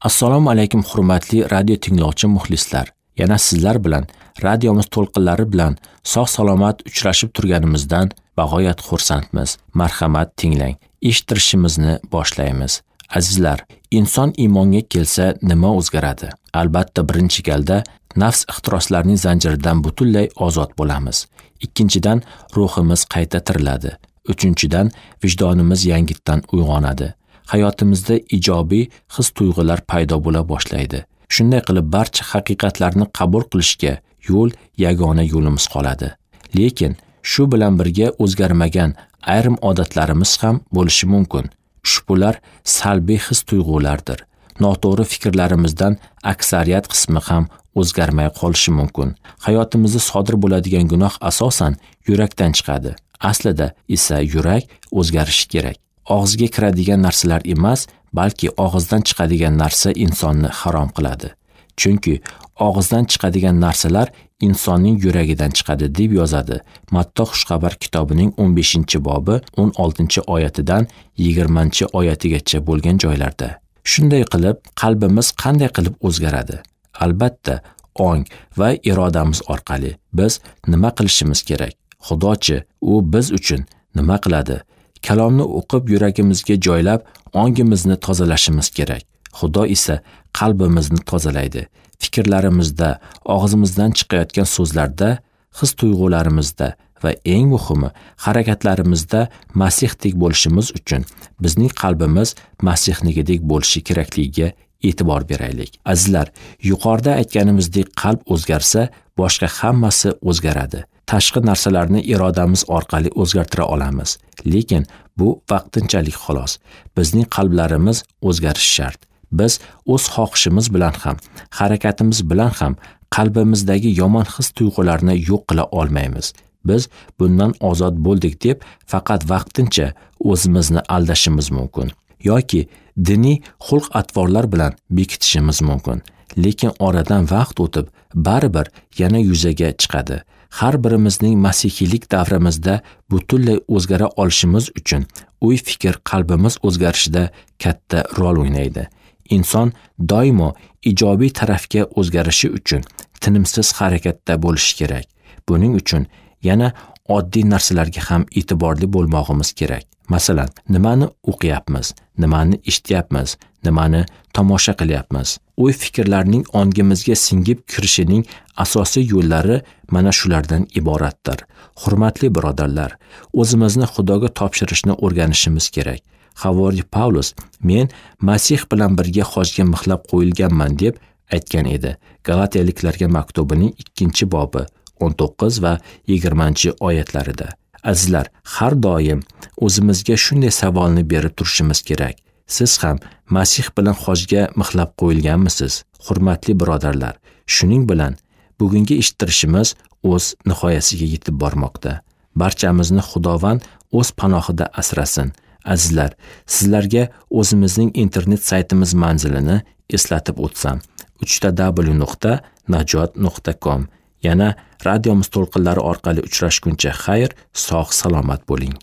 Assalomu alaykum hurmatli radio tinglovchi muxlislar. Yana sizlar bilan radiomiz to'lqinlari bilan sog' salomat uchrashib turganimizdan bag'oyat xursandmiz. Marhamat tinglang. Eshittirishimizni boshlaymiz. Azizlar, inson iymonga kelsa nima o'zgaradi? Albatta, birinchi galda nafs ixtiroslarining zanjiridan butunlay ozod bo'lamiz. Ikkinchidan, ruhimiz qayta tiriladi. Uchinchidan, vijdonimiz yangitdan uyg'onadi. Hayotimizda ijobiy his-tuyg'ular paydo bo'la boshlaydi. Shunday qilib barcha haqiqatlarni qabul qilishga yo'l yagona yo'limiz qoladi. Lekin shu bilan birga o'zgarmagan ayrim odatlarimiz ham bo'lishi mumkin. Ushbular salbiy his-tuyg'ulardir. Noto'g'ri fikrlarimizdan aksariyat qismi ham o'zgarmay qolishi mumkin. Hayotimizda sodir bo'ladigan gunoh asosan yurakdan chiqadi. Aslida esa yurak o'zgarishi kerak. Og'izga kiradigan narsalar emas, balki og'izdan chiqadigan narsa insonni harom qiladi. Chunki og'izdan chiqadigan narsalar insonning yuragidan chiqadi deb yozadi Matto Xushxabar kitobining 15-bobi 16-oyatidan 20-oyatigacha bo'lgan joylarda. Shunday qilib, qalbimiz qanday qilib o'zgaradi? Albatta, ong va irodamiz orqali biz nima qilishimiz kerak? Xudochi, u biz uchun nima qiladi? Kalomni o'qib yuragimizga joylab, ongimizni tozalashimiz kerak. Xudo esa qalbimizni tozalaydi. Fikrlarimizda, og'zimizdan chiqayotgan so'zlarda, his-tuyg'ularimizda va eng muhimi harakatlarimizda Masihdek bo'lishimiz uchun bizning qalbimiz Masihnikidek bo'lishi kerakligiga e'tibor beraylik. Azizlar, yuqorida aytganimizdek qalb o'zgarsa, boshqa hammasi o'zgaradi. Tashqi narsalarni irodamiz orqali o'zgartira olamiz. Lekin bu vaqtinchalik xolos. Bizning qalblarimiz o'zgarishi shart. Biz o'z xohishimiz bilan ham, harakatimiz bilan ham qalbimizdagi yomon his-tuyg'ularni yo'q qila olmaymiz. Biz bundan ozod bo'ldik deb faqat vaqtincha o'zimizni aldashimiz mumkin yoki diniy xulq-atvorlar bilan bekitishimiz mumkin. Lekin oradan vaqt o'tib baribir yana yuzaga chiqadi. Har birimizning masihiylik davrimizda butunlay o'zgara olishimiz uchun o'y-fikr qalbimiz o'zgarishida katta rol o'ynaydi. Inson doimo ijobiy tarafga o'zgarishi uchun tinimsiz harakatda bo'lishi kerak. Buning uchun yana oddiy narsalarga ham e'tiborli bo'lmog'imiz kerak. Masalan, nimani o'qiyapmiz, nimani eshityapmiz, nimani tomosha qilyapmiz. O'y-fikrlarning ongimizga singib kirishining asosiy yo'llari mana shulardan iboratdir. Hurmatli birodarlar, o'zimizni Xudoga topshirishni o'rganishimiz kerak. Havoriy Pavlus, men Masih bilan birga xojga mixlab qo'yilganman deb aytgan edi. Galatiyaliklarga maktubining 2-bobi 19 va 20-oyatlarida. Azizlar, har doim o'zimizga shunday savolni berib turishimiz kerak. Siz ham Masih bilan xojga mixlab qo'yilganmisiz? Hurmatli birodarlar, shuning bilan bugungi eshittirishimiz o'z nihoyasiga yetib bormoqda. Barchamizni Xudovand o'z panohida asrasin. Azizlar, sizlarga o'zimizning internet saytimiz manzilini eslatib o'tsam: www.najot.com. Yana radiomiz to'lqinlari orqali uchrashguncha xayr, sog' salomat bo'ling.